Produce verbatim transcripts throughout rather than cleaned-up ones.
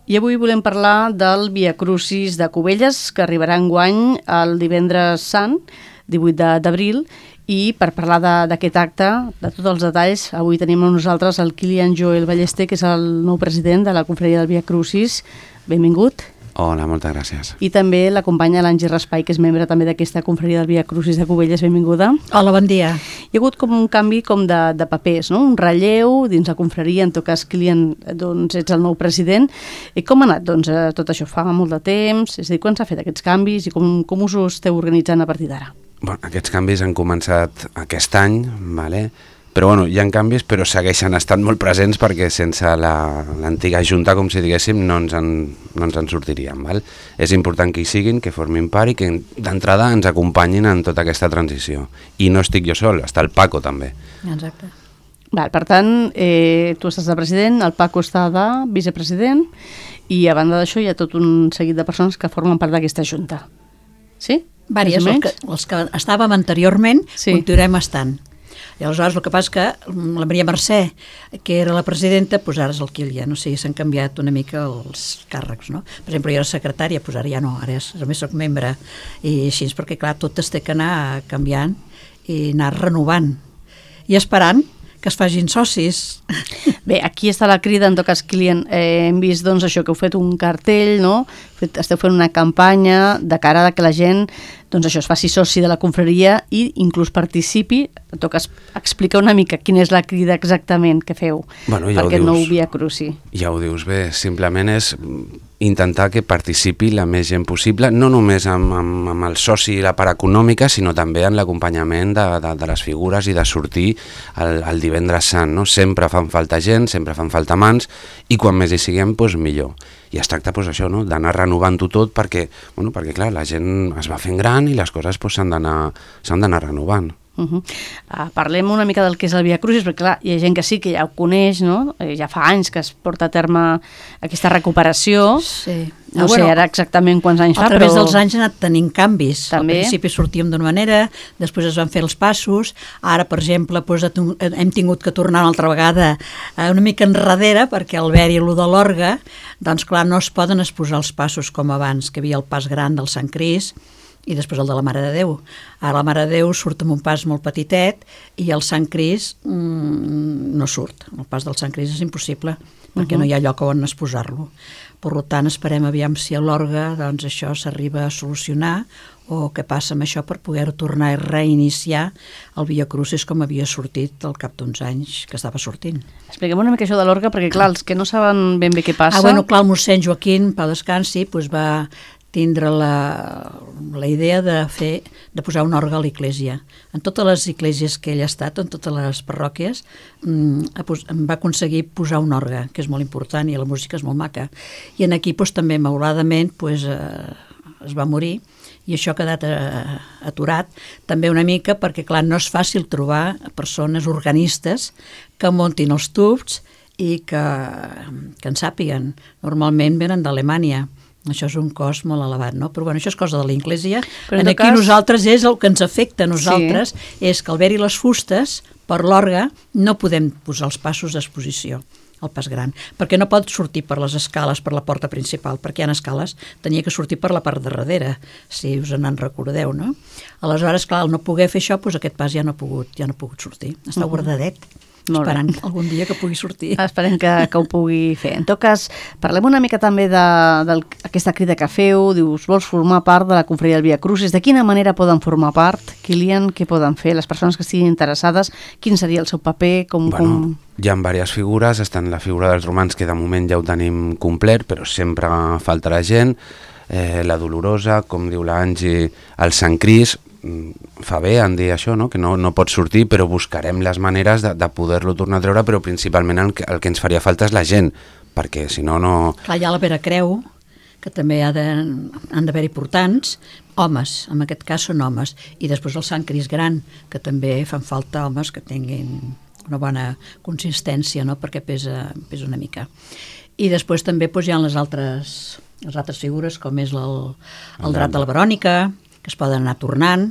I avui volem parlar del Via Crucis de Cubelles, que arribarà enguany el divendres sant, divuit d'abril, i per parlar d'aquest acte, de tots els detalls, avui tenim amb nosaltres el Kilian Joel Ballester, que és el nou president de la Confraria del Via Crucis. Benvingut. Hola, moltes gràcies. I també l'acompanya l'Angie Raspai, que és membre també d'aquesta Confraria del Via Crucis de Cubelles. Benvinguda. Hola, bon dia. Hi ha hagut com un canvi com de, de papers, no? Un relleu dins la confraria, en tot cas, Kilian, doncs ets el nou president. I com ha anat doncs, tot això? Fa molt de temps? És a dir, quan s'ha fet aquests canvis i com, com us ho esteu organitzant a partir d'ara? Bueno, aquests canvis han començat aquest any, vale? Però bueno, hi ha canvis, però segueixen estant molt presents perquè sense l'antiga junta, com si diguéssim, no ens en, no ens en sortiríem. Val? És important que hi siguin, que formin part i que d'entrada ens acompanyin en tota aquesta transició. I no estic jo sol, està el Paco també. Exacte. Val, per tant, eh, tu estàs de president, el Paco està de vicepresident i a banda d'això hi ha tot un seguit de persones que formen part d'aquesta junta. Sí? Vàries, els que, els que estàvem anteriorment, sí. Continuem estant. I aleshores el que passa és que la Maria Mercè, que era la presidenta, doncs ara és el Kilian, o sigui, s'han canviat una mica els càrrecs, no? Per exemple, jo era secretària, doncs ara ja no, ara és, només soc membre, i així, perquè clar, tot es té que anar canviant i anar renovant i esperant que es facin socis. Bé, aquí està la crida, en tot cas, Kilian, eh, hem vist doncs això, que heu fet un cartell, no? Fet, esteu fent una campanya de cara a que la gent doncs això, es faci soci de la confraria i inclús participi, en tot cas, explica una mica quina és la crida exactament que feu bueno, ja per aquest nou Via Cruci. Ja ho dius bé, simplement és intentar que participi la més gent possible, no només amb, amb, amb el soci i la part econòmica, sinó també en l'acompanyament de, de, de les figures i de sortir el, el divendres sant. No? Sempre fan falta gent, sempre fan falta mans, i quan més hi siguem, doncs millor. I es tracta doncs, això, no? D'anar renovant-ho tot perquè, bueno, perquè clar, la gent es va fent gran i les coses doncs, s'han d'anar renovant. Uh -huh. uh, parlem una mica del que és el Via Crucis, perquè clar, hi ha gent que sí que ja ho coneix, no? Eh, ja fa anys que es porta a terme aquesta recuperació. Sí. No ah, sé bueno, ara exactament quants anys fa, però... A través però... dels anys ha anat tenint canvis. També. Al principi sortíem d'una manera, després es van fer els passos, ara, per exemple, doncs, hem tingut que tornar una altra vegada una mica enrere, perquè al haver-hi allò de l'orgue, doncs clar, no es poden exposar els passos com abans, que hi havia el pas gran del Sant Crist, i després el de la Mare de Déu. Ara la Mare de Déu surt amb un pas molt petitet i el Sant Crist mmm, no surt. El pas del Sant Crist és impossible perquè uh-huh. no hi ha lloc on exposar-lo. Per tant, esperem aviam si a l'orgue doncs, això s'arriba a solucionar o què passa amb això per poder tornar a reiniciar el Via Crucis com havia sortit al cap d'uns anys que estava sortint. Expliquem una mica això de l'orgue perquè, clar, els que no saben ben bé què passa... Ah, bueno, clar, el mossèn Joaquín, Pau Descansi, doncs va tindre la, la idea de fer de posar un orgue a l'església. En totes les esglésies que ell ha estat, en totes les parròquies, mmm, va aconseguir posar un orgue, que és molt important i la música és molt maca. I en aquí doncs, també, mauladament, doncs, eh, es va morir i això ha quedat eh, aturat també una mica perquè, clar, no és fàcil trobar persones organistes que muntin els tubs i que, que en sàpiguen. Normalment venen d'Alemanya. Això és un cost molt elevat, no? Però bueno, això és cosa de l'Església. En aquí cas... nosaltres és el que ens afecta a nosaltres, sí. És que al haver-hi les fustes, per l'orgue, no podem posar els passos d'exposició, el pas gran, perquè no pot sortir per les escales, per la porta principal, perquè hi ha escales, tenia que sortir per la part de darrere, si us en recordeu, no? Aleshores, clar, al no poder fer això, doncs aquest pas ja no ha pogut, ja no ha pogut sortir. Està uh-huh. guardadet. Esperant algun dia que pugui sortir. Esperem que, que ho pugui fer. En tot cas, parlem una mica també d'aquesta crida que feu, dius, vols formar part de la confraria del Via Crucis, de quina manera poden formar part? Kilian, què poden fer? Les persones que estiguin interessades, quin seria el seu paper? Com, bueno, com... Hi ha diverses figures, estan la figura dels romans, que de moment ja ho tenim complet, però sempre faltarà gent, eh, la Dolorosa, com diu l'Angie, el Sant Crist, fa bé en dir això, no? Que no, no pot sortir, però buscarem les maneres de, de poder-lo tornar a treure, però principalment el que, el que ens faria falta és la gent, perquè si no, no... Clar, hi ha la Vera Creu, que també ha de, han d'haver-hi portants, homes, en aquest cas són homes, i després el Sant Crist Gran, que també fan falta homes que tinguin una bona consistència, no? Perquè pesa, pesa una mica. I després també doncs, hi ha les altres, les altres figures, com és el, el Drat de la Verònica, que es poden anar tornant,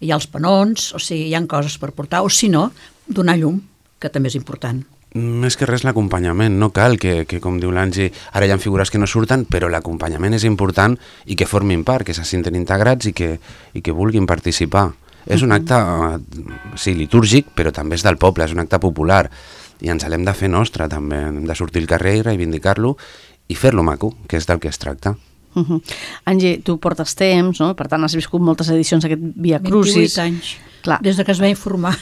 hi ha els penons, o sigui, hi ha coses per portar, o si no, donar llum, que també és important. Més que res l'acompanyament, no cal que, que com diu l'Angi, ara hi ha figures que no surten, però l'acompanyament és important i que formin part, que se senten integrats i que, i que vulguin participar. Uh-huh. És un acte, sí, litúrgic, però també és del poble, és un acte popular i ens l'hem de fer nostre també, hem de sortir al carrer i reivindicar-lo i fer-lo maco, que és del que es tracta. Uh-huh. Angi, tu portes temps, no? Per tant has viscut moltes edicions d'aquest Via Crucis. vint-i-vuit anys, clar. Des de que es va informar.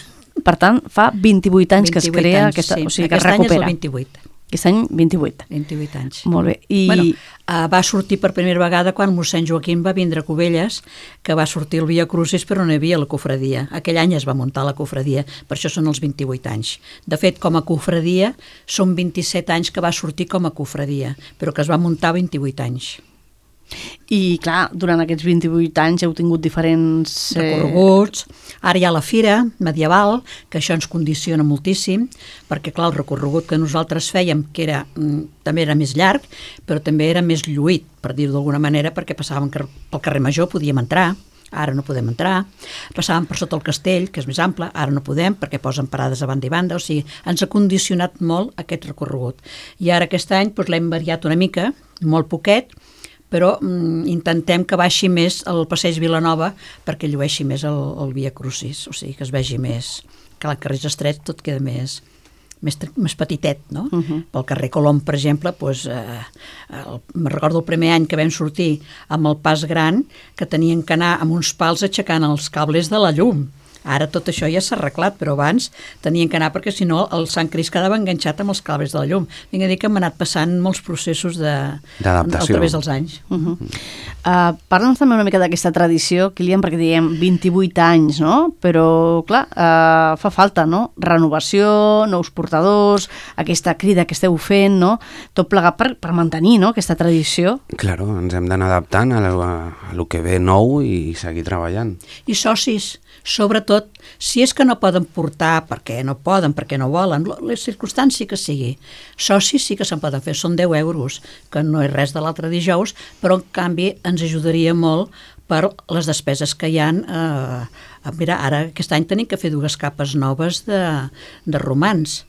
Per tant, fa vint-i-vuit anys que es crea anys, aquesta... Sí. O sigui, que aquest es recupera. any és el vint-i-vuit. Aquest any, vint-i-vuit. vint-i-vuit anys. Molt bé. I... Bueno, uh, va sortir per primera vegada quan mossèn Joaquim va vindre a Cubelles, que va sortir el Via Crucis, però no hi havia la cofradia. Aquell any es va muntar la cofradia, per això són els vint-i-vuit anys. De fet, com a cofradia, són vint-i-set anys que va sortir com a cofradia, però que es va muntar vint-i-vuit anys. I, clar, durant aquests vint-i-vuit anys heu tingut diferents... Eh... recorreguts. Ara hi ha la fira medieval, que això ens condiciona moltíssim, perquè, clar, el recorregut que nosaltres fèiem, que era, també era més llarg, però també era més lluït, per dir-ho d'alguna manera, perquè passàvem pel carrer Major, podíem entrar, ara no podem entrar, passàvem per sota el castell, que és més ample, ara no podem, perquè posen parades a banda i banda, o sigui, ens ha condicionat molt aquest recorregut. I ara aquest any doncs, l'hem variat una mica, molt poquet, però mm, intentem que baixi més el passeig Vilanova perquè llueixi més el, el Via Crucis, o sigui, que es vegi més, que el carrer estret tot queda més, més, més petitet, no? Uh-huh. Pel carrer Colom, per exemple, doncs, eh, el, me recordo el primer any que vam sortir amb el pas gran, que tenien que anar amb uns pals aixecant els cables de la llum. Ara tot això ja s'ha arreglat, però abans tenien que anar perquè si no el Sant Crist quedava enganxat amb els cables de la llum. Vinc a dir que hem anat passant molts processos de, d'adaptació a través dels anys. Uh-huh. uh, Parla'ns també una mica d'aquesta tradició, Kilian, perquè diem vint-i-vuit anys, no? Però, clar, uh, fa falta, no? Renovació, nous portadors, aquesta crida que esteu fent, no? Tot plegat per, per mantenir, no?, aquesta tradició. Claro, ens hem d'anar adaptant a, a, a lo que ve nou i seguir treballant. I socis, sobretot, si és que no poden portar, perquè no poden, perquè no volen, les circumstàncies que sigui, socis sí que se'n poden fer, són deu euros, que no és res de l'altre dijous, però en canvi ens ajudaria molt per les despeses que hi ha. Eh, mira, ara aquest any tenim que fer dues capes noves de, de romans.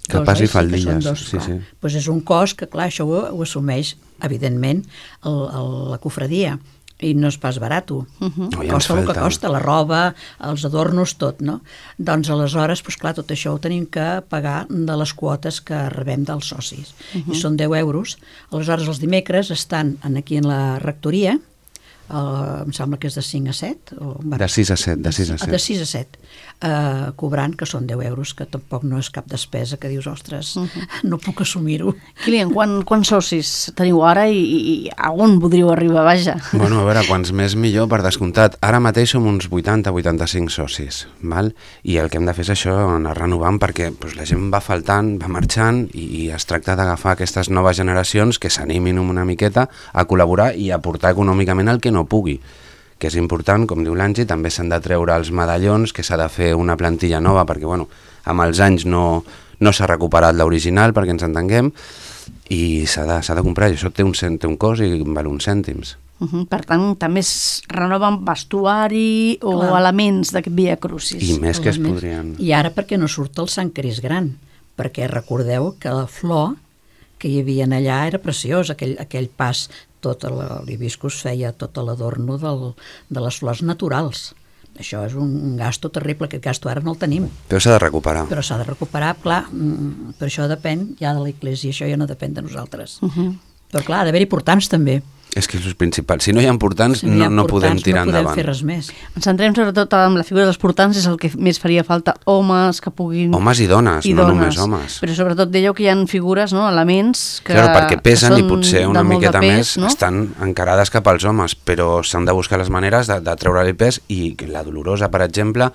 Capes i faldilles, dos, sí, sí. Pues és un cost que, clar, això ho, ho assumeix, evidentment, el, el, la cofradia. I no és pas barat. Uh-huh. No, ja costa el que costa, la roba, els adornos, tot, no? Doncs aleshores, doncs clar, tot això ho tenim que pagar de les quotes que rebem dels socis. Uh-huh. I són deu euros. Aleshores, els dimecres estan aquí en la rectoria, uh, em sembla que és de cinc a set. O, bueno, de sis a set, de sis a set. De sis a set, uh, cobrant, que són deu euros, que tampoc no és cap despesa, que dius, ostres, uh-huh. no puc assumir-ho. Kilian, quan, quants socis teniu ara i, i a on podríeu arribar, vaja? Bueno, a veure, quants més millor, per descomptat. Ara mateix som uns vuitanta a vuitanta-cinc socis, val? I el que hem de fer és això, anar renovant, perquè doncs, la gent va faltant, va marxant, i, i es tracta d'agafar aquestes noves generacions que s'animin una miqueta a col·laborar i a aportar econòmicament el que no pugui, que és important, com diu l'Angi, també s'han de treure els medallons, que s'ha de fer una plantilla nova, perquè bueno, amb els anys no, no s'ha recuperat l'original, perquè ens entenguem, i s'ha de, s'ha de comprar, i això té un, té un cost i val uns cèntims. Uh-huh. Per tant, també es renoven vestuari o Clar. elements d'aquest Via Crucis. I més que es podrien... I ara perquè no surt el Sant Crist gran, perquè recordeu que la flor que hi havia allà era preciós, aquell, aquell pas, tot l'hibiscus feia tot l'adorno del, de les flors naturals. Això és un gasto terrible, aquest gasto ara no el tenim. Però s'ha de recuperar. Però s'ha de recuperar, clar, però això depèn ja de l'Església, això ja no depèn de nosaltres. Uh-huh. Però clar, ha d'haver-hi portants també. És que és el principal. Si no hi ha portants, si no, hi ha no, no podem tirar no podem endavant. Fer res més. Ens centrem sobretot en la figura dels portants, és el que més faria falta, homes que puguin... Homes i dones, i no dones. només homes. Però sobretot dèieu que hi ha figures, no?, elements que, claro, perquè pesen que i potser una miqueta pes, més, no? Estan encarades cap als homes, però s'han de buscar les maneres de, de treure-li pes, i la Dolorosa, per exemple,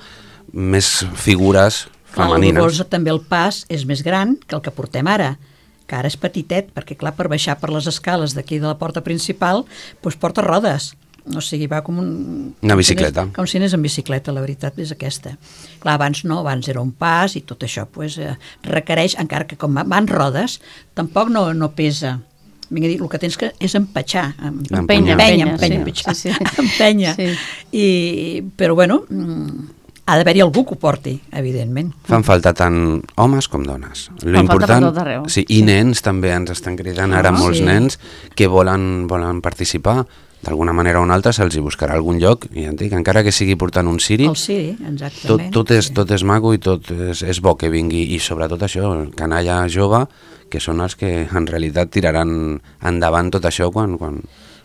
més figures femenines. La Dolorosa també el pas és més gran que el que portem ara, que ara és petitet, perquè clar, per baixar per les escales d'aquí de la porta principal, doncs porta rodes, o sigui, va com un... Una bicicleta. Com si anés en bicicleta, la veritat és aquesta. Clar, abans no, abans era un pas i tot això doncs, eh, requereix, encara que com van rodes, tampoc no, no pesa. Vinga, dir, el que tens que és empatxar, empènyer, empènyer, empènyer, empènyer, sí, sí, sí. empènyer. Sí. I, però bueno, ha d'haver-hi algú que ho porti, evidentment. Fan falta tant homes com dones. Lo Fan falta per important, tot arreu. sí, i nens també ens estan cridant ara Ah, molts sí. nens que volen, volen participar. D'alguna manera o una altra se'ls hi buscarà algun lloc, i ja et dic, encara que sigui portant un ciri, El Siri, tot, exactament. tot, és, tot és maco i tot és, és bo que vingui, i sobretot això, el canalla jove, que són els que en realitat tiraran endavant tot això quan... quan...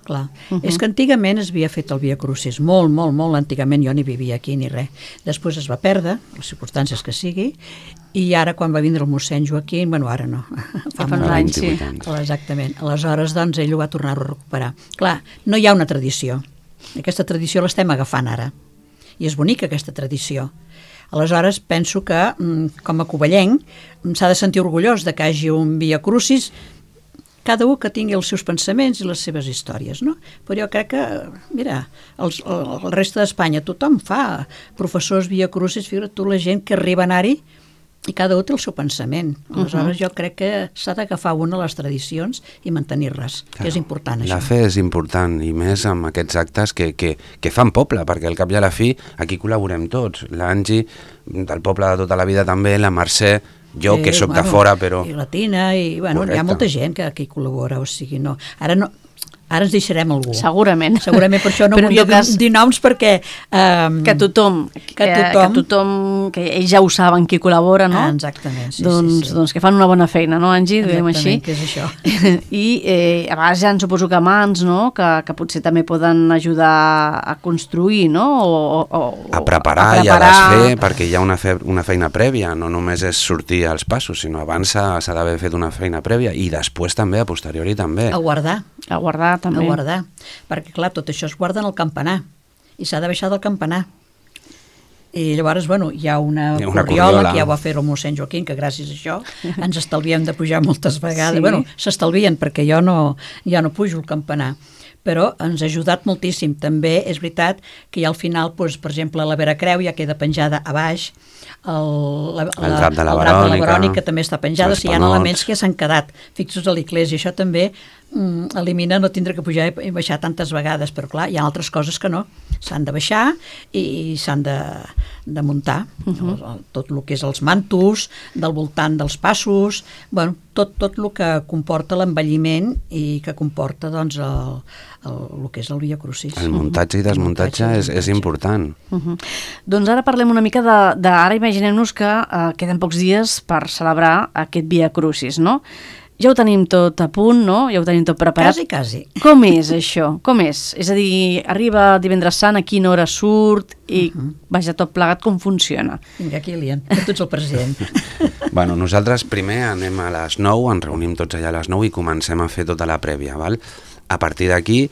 Clar. Uh-huh. És que antigament es havia fet el Via Crucis, molt, molt, molt antigament, jo ni vivia aquí ni res. Després es va perdre, les circumstàncies que sigui, i ara quan va vindre el mossèn Joaquim, bueno, ara no, Fa uns anys, sí. anys. Exactament. Aleshores, doncs, ell ho va tornar a recuperar. Clar, no hi ha una tradició. Aquesta tradició l'estem agafant ara. I és bonica aquesta tradició. Aleshores, penso que, com a covellenc, s'ha de sentir orgullós de que hi hagi un Via Crucis, cada un que tingui els seus pensaments i les seves històries, no? Però jo crec que, mira, els, el, el reste d'Espanya tothom fa professors Via Crucis, figura't tu la gent que arriba a anar-hi i cada un té el seu pensament. Aleshores, uh-huh. jo crec que s'ha d'agafar una de les tradicions i mantenir-les, claro, que és important, això. La fe és important, i més amb aquests actes que, que, que fan poble, perquè al cap i a la fi aquí col·laborem tots. L'Angi, del poble de tota la vida també, la Mercè, jo, Sí, que sóc bueno, de fora, però... I la Tina, i bueno, hi ha Correcte. molta gent que aquí col·labora, o sigui, no... Ara no... Ara ens deixarem algú. Segurament. Segurament, per això no Però en volia tot cas, dir, dir noms perquè... Um, que tothom, que que, tothom- que tothom, que ells ja ho saben qui col·labora, no? Ah, exactament, sí, doncs, sí, sí. doncs que fan una bona feina, no, Angi? Diguem així. Exactament, que és això. I eh, a vegades ja suposo que mans, no?, que, que potser també poden ajudar a construir, no?, o, o, a preparar, a i a desfer, perquè hi ha una, fe, una feina prèvia, no només és sortir als passos, sinó abans s'ha s'ha d'haver fet una feina prèvia, i després també, a posteriori també. A guardar, a guardar també. a guardar. Perquè, clar, tot això es guarda en el campanar, i s'ha de baixar del campanar. I llavors, bueno, hi ha una, Hi ha una corriola, corriola. que ja ho va fer el mossèn Joaquim, que gràcies a això ens estalviem de pujar moltes vegades. Sí. Bueno, s'estalvien, perquè jo no, ja no pujo el campanar. Però ens ha ajudat moltíssim. També és veritat que ja al final, doncs, per exemple, la Vera Creu ja queda penjada a baix, el, la, El drap de la el drap de la Verònica, Verònica també està penjada, o els sigui, hi ha panots. elements que s'han quedat fixos a l'església. Això també mm, elimina no tindre que pujar i baixar tantes vegades, però clar, hi ha altres coses que no. S'han de baixar i, i s'han de, de muntar. Uh -huh. el, tot el que és els mantos, del voltant dels passos, bueno, tot, tot el que comporta l'envelliment i que comporta, doncs, el, el, el que és el Via Crucis. El muntatge i desmuntatge El muntatge i és, és desmuntatge. important. Uh -huh. Doncs ara parlem una mica de... de ara imaginem-nos que eh, queden pocs dies per celebrar aquest Via Crucis, no? Ja ho tenim tot a punt, no? Ja ho tenim tot preparat. Quasi, quasi. Com és això? Com és? És a dir, arriba divendres sant, a quina hora surt i, uh -huh. vaja, tot plegat, com funciona? Vinga, Kilian, que tu ets el president. Bueno, nosaltres primer anem a les nou, ens reunim tots allà a les nou i comencem a fer tota la prèvia, val? A partir d'aquí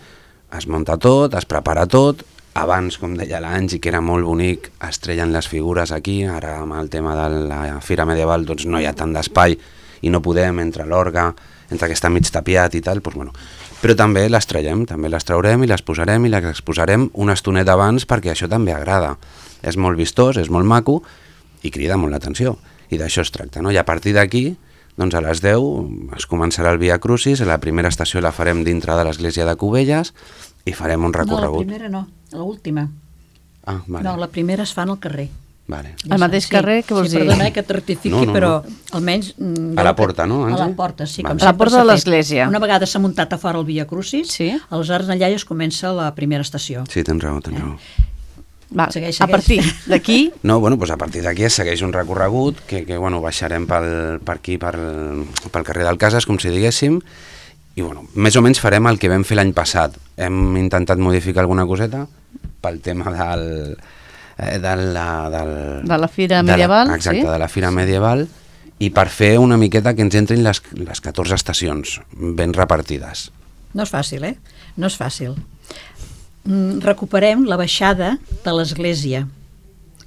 es munta tot, es prepara tot. Abans, com deia l'Angi, que era molt bonic, es treien les figures aquí. Ara, amb el tema de la Fira Medieval, doncs no hi ha tant d'espai i no podem, entre l'orga, entre que està mig tapiat i tal, doncs bueno. Però també les traiem, també les traurem i les posarem i les exposarem una estoneta abans, perquè això també agrada. És molt vistós, és molt maco i crida molt l'atenció. I d'això es tracta, no? I a partir d'aquí, doncs a les deu es començarà el Via Crucis, la primera estació la farem dintre de l'església de Cubelles i farem un recorregut. No, la primera no, l'última. Ah, vale. No, la primera es fa en el carrer. Vale. Al mateix carrer, què vols sí, dir? Perdona, eh, que et rectifiqui, No, no, però no. almenys... mm, A la jo- porta, no, A la Angi? porta, sí. Vale. Com A la sempre porta de s'ha fet. l'església. Una vegada s'ha muntat a fora el Via Crucis, Sí. aleshores allà ja es comença la primera estació. Sí, tens raó, tens raó. Va, Segueix, a segueix. partir d'aquí, No, bueno, doncs a partir d'aquí es segueix un recorregut que, que bueno, baixarem pel, per aquí, per, pel carrer del Casas, com si diguéssim, i bueno, més o menys farem el que vam fer l'any passat. Hem intentat modificar alguna coseta pel tema del... Eh, de, la, del De la Fira de la- Medieval, exacte, sí. de la Fira Medieval, i per fer una miqueta que ens entrin les, les catorze estacions ben repartides. No és fàcil, eh? No és fàcil. Mm, recuperem la baixada de l'església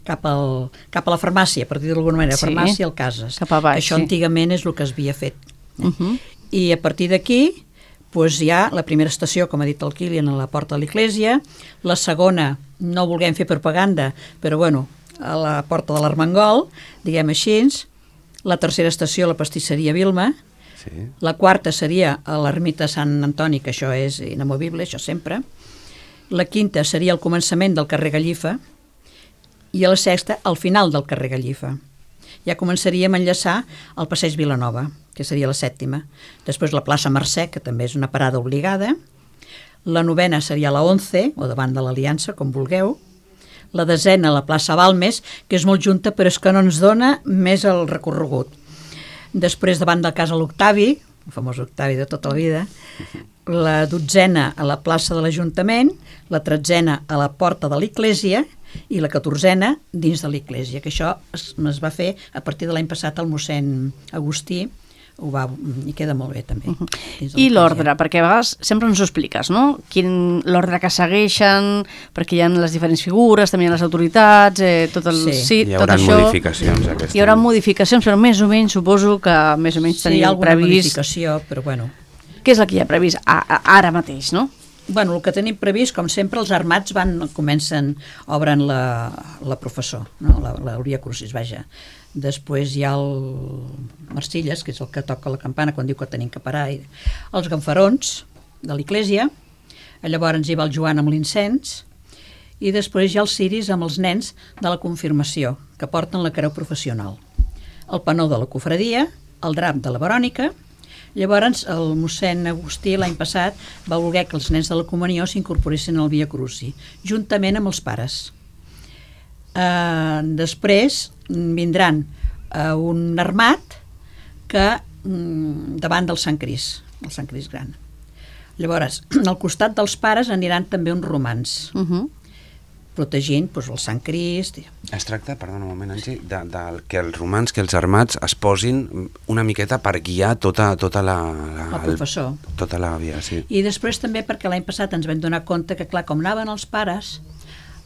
cap, al, cap a la farmàcia, per dir d'alguna manera, Sí. farmàcia al Casas. Cap a baix, Això sí. antigament és el que es havia fet. uh -huh. I a partir d'aquí doncs hi ha la primera estació, com ha dit el Kilian, a la porta de l'església, la segona, no volguem fer propaganda, però bueno, a la porta de l'Armengol, diguem així, la tercera estació, la pastisseria Vilma, Sí. la quarta seria a l'ermita Sant Antoni, que això és inamovible, això sempre. La quinta seria el començament del carrer Gallifa. i a la sexta al final del carrer Gallifa. Ja començaríem a enllaçar el passeig Vilanova, que seria la sèptima. Després la plaça Mercè, que també és una parada obligada. La novena seria la onze, o davant de l'Aliança, com vulgueu. La desena, la plaça Balmes, que és molt junta, però és que no ens dona més el recorregut. Després, davant del Casa l'Octavi, el famós Octavi de tota la vida, la dotzena a la plaça de l'Ajuntament, la tretzena a la porta de l'Església i la catorzena dins de l'Església, que això es, es va fer a partir de l'any passat el mossèn Agustí, ho va, i queda molt bé també. Uh -huh. I l'ordre, perquè a vegades sempre ens ho expliques, no? Quin, l'ordre que segueixen, perquè hi ha les diferents figures, també hi ha les autoritats, eh, tot el, sí. sí, hi tot haurà això. modificacions aquest Hi haurà any. modificacions, però més o menys suposo que més o menys sí, teniu alguna previst. modificació, però bueno. Què és el que hi ha previst a, a, ara mateix, no? Bueno, el que tenim previst, com sempre, els armats van, comencen, obren la, la professor, no? la, la Via Crucis, vaja. Després hi ha el Marcilles, que és el que toca la campana quan diu que tenim que parar, i els ganfarons de l'Església, llavors hi va el Joan amb l'incens, i després hi ha els ciris amb els nens de la confirmació, que porten la creu professional, el panó de la cofradia, el drap de la Verònica. Llavors el mossèn Agustí l'any passat va voler que els nens de la comunió s'incorporessin al Via Crucis, juntament amb els pares. Uh, després vindran uh, un armat que um, davant del Sant Crist, el Sant Crist gran. Llavors, al costat dels pares aniran també uns romans, uh -huh. protegint doncs, el Sant Crist. Es tracta, perdona un moment, Angie, de, de que els romans, que els armats es posin una miqueta per guiar tota, tota la... la el professor. El, tota la via, sí. I després també perquè l'any passat ens vam donar compte que, clar, com anaven els pares,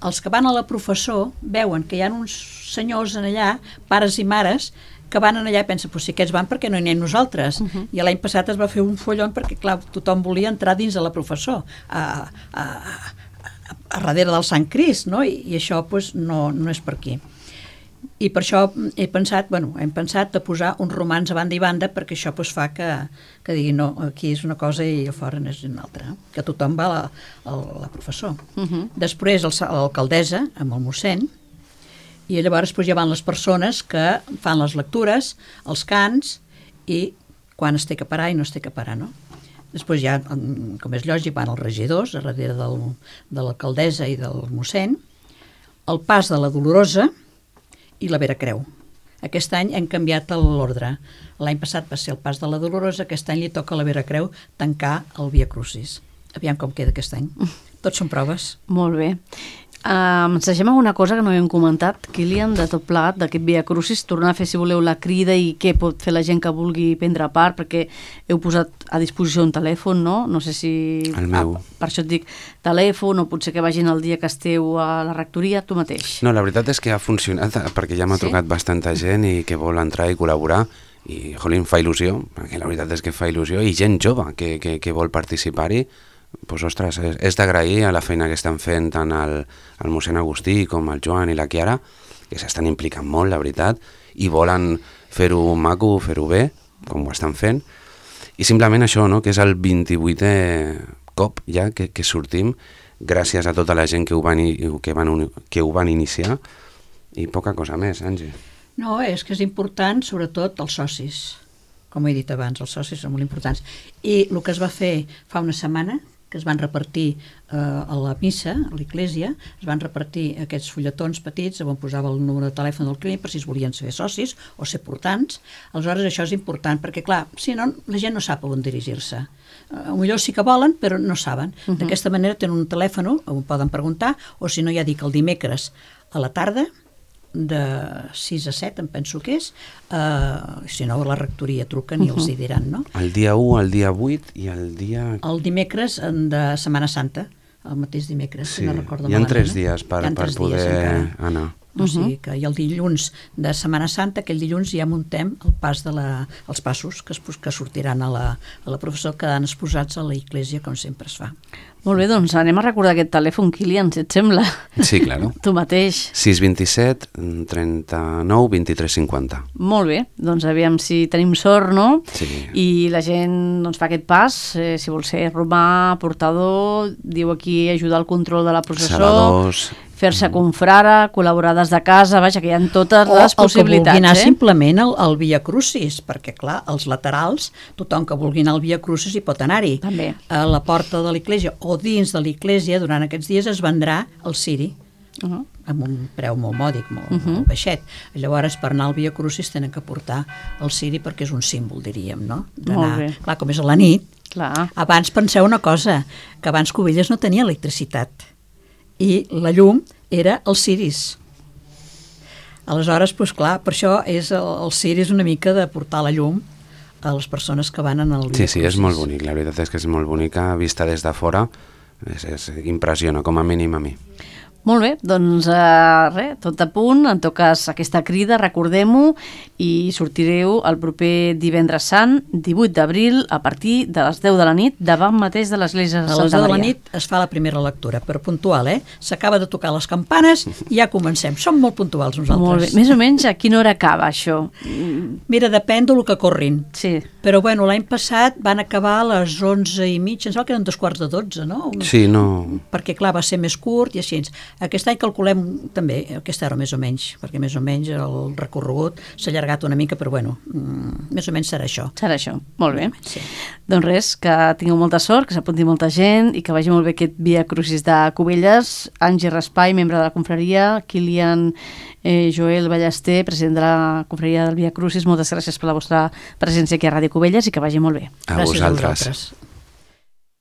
els que van a la professor veuen que hi ha uns senyors en allà, pares i mares, que van en allà i pensen, pues si aquests van, per què no hi anem nosaltres? Uh -huh. I l'any passat es va fer un follon perquè, clar, tothom volia entrar dins de la professor, a, a, a, a darrere del Sant Crist, no? I, i això pues, no, no és per aquí. I per això he pensat, bueno, hem pensat de posar uns romans a banda i banda perquè això pues, fa que, que digui no, aquí és una cosa i a fora és una altra, que tothom va a la, a la professor. Uh -huh. Després l'alcaldessa amb el mossèn, i llavors pues, ja van les persones que fan les lectures, els cants i quan es té que parar i no es té que parar, no? Després ja, com és lògic, van els regidors a darrere del, de l'alcaldessa i del mossèn, el pas de la Dolorosa i la Vera Creu. Aquest any hem canviat l'ordre. L'any passat va ser el pas de la Dolorosa, aquest any li toca a la Vera Creu tancar el Via Crucis. Aviam com queda aquest any. Tots són proves. Molt bé. Uh, ens deixem alguna cosa que no havíem comentat, Kilian, de tot plegat, d'aquest Via Crucis, tornar a fer, si voleu, la crida i què pot fer la gent que vulgui prendre part, perquè heu posat a disposició un telèfon, no? No sé si... El meu. Ah, per això et dic telèfon, o potser que vagin el dia que esteu a la rectoria, tu mateix. No, la veritat és que ha funcionat, perquè ja m'ha sí? trucat bastanta gent i que vol entrar i col·laborar, i, jolín, fa il·lusió, perquè la veritat és que fa il·lusió, i gent jove que, que, que vol participar-hi. Pues, ostres, és, és d'agrair a la feina que estan fent tant el, el mossèn Agustí com el Joan i la Chiara, que s'estan implicant molt, la veritat, i volen fer-ho maco, fer-ho bé, com ho estan fent, i simplement això, no?, que és el vint-i-vuitè cop ja que, que sortim, gràcies a tota la gent que ho van, que van, que ho van iniciar, i poca cosa més, Angie. No, és que és important, sobretot, els socis. Com he dit abans, els socis són molt importants. I el que es va fer fa una setmana, que es van repartir eh, a la missa, a l'Església, es van repartir aquests fulletons petits on posava el número de telèfon del clínic per si es volien ser socis o ser portants. Aleshores això és important perquè, clar, si no, la gent no sap on dirigir-se. Uh, millor sí que volen, però no saben. Uh -huh. D'aquesta manera tenen un telèfon on poden preguntar, o si no ja dic el dimecres a la tarda, de sis a set, em penso que és, uh, si no a la rectoria truquen i uh -huh. els hi diran, no? El dia u, el dia vuit i el dia... El dimecres de Setmana Santa, el mateix dimecres, sí, si no recordo hi ha malament. tres dies per, per tres poder dies anar. O sigui que i el dilluns de Setmana Santa, aquell dilluns ja muntem el pas de la, els passos que, es, que sortiran a la, a la professor, quedant exposats a la Església, com sempre es fa. Molt bé, doncs anem a recordar aquest telèfon, Kilian, si et sembla. Sí, claro. Tu mateix. sis dos set, trenta-nou, vint-i-tres, cinquanta. Molt bé, doncs aviam si tenim sort, no? Sí. I la gent doncs, fa aquest pas, eh, si vol ser romà, portador, diu aquí ajudar al control de la processó, Saladors. fer-se confrare, col·laborar des de casa, vaja, que hi ha totes o, les o possibilitats. que vulgui anar eh? simplement al, al Via Crucis, perquè clar, als laterals, tothom que vulgui anar al Via Crucis hi pot anar-hi. També. A la porta de l'església o dins de l'església, durant aquests dies es vendrà el ciri, Uh -huh. amb un preu molt mòdic, molt, uh Uh-huh. -huh. molt baixet. Llavors, per anar al Via Crucis tenen que portar el ciri perquè és un símbol, diríem, no? Molt bé. Clar, com és a la nit. Clar. Abans penseu una cosa, que abans Cubelles no tenia electricitat i la llum era els ciris. Aleshores, doncs clar, per això és el, el ciri és una mica de portar la llum a les persones que van en el Via Sí, sí, és Crucis. molt bonic, la veritat és que és molt bonica, vista des de fora, és, és, impressiona, com a mínim a mi. Molt bé, doncs eh, res, tot a punt, en tot cas aquesta crida, recordem-ho, i sortireu el proper divendres sant, divuit d'abril, a partir de les deu de la nit, davant mateix de l'església de A les Santa deu de la Maria. nit es fa la primera lectura, però puntual, eh? S'acaba de tocar les campanes i ja comencem. Som molt puntuals nosaltres. Molt bé, més o menys a quina hora acaba això? Mira, depèn del que corrin. Sí, Però bueno, l'any passat van acabar a les onze i mitja, em sembla que eren dos quarts de dotze, no? Sí, no... Perquè clar, va ser més curt i així. Aquest any calculem també aquesta hora més o menys, perquè més o menys el recorregut s'ha allargat una mica, però bueno, mm, més o menys serà això. serà això. Molt bé. Sí. Doncs res, que tingueu molta sort, que s'apunti molta gent i que vagi molt bé aquest Via Crucis de Cubelles. Àngel Raspai, membre de la confraria, Kilian eh, Joel Ballester, president de la confraria del Via Crucis, moltes gràcies per la vostra presència aquí a Ràdio Cubelles i que vagi molt bé. A Gràcies vosaltres. vosaltres.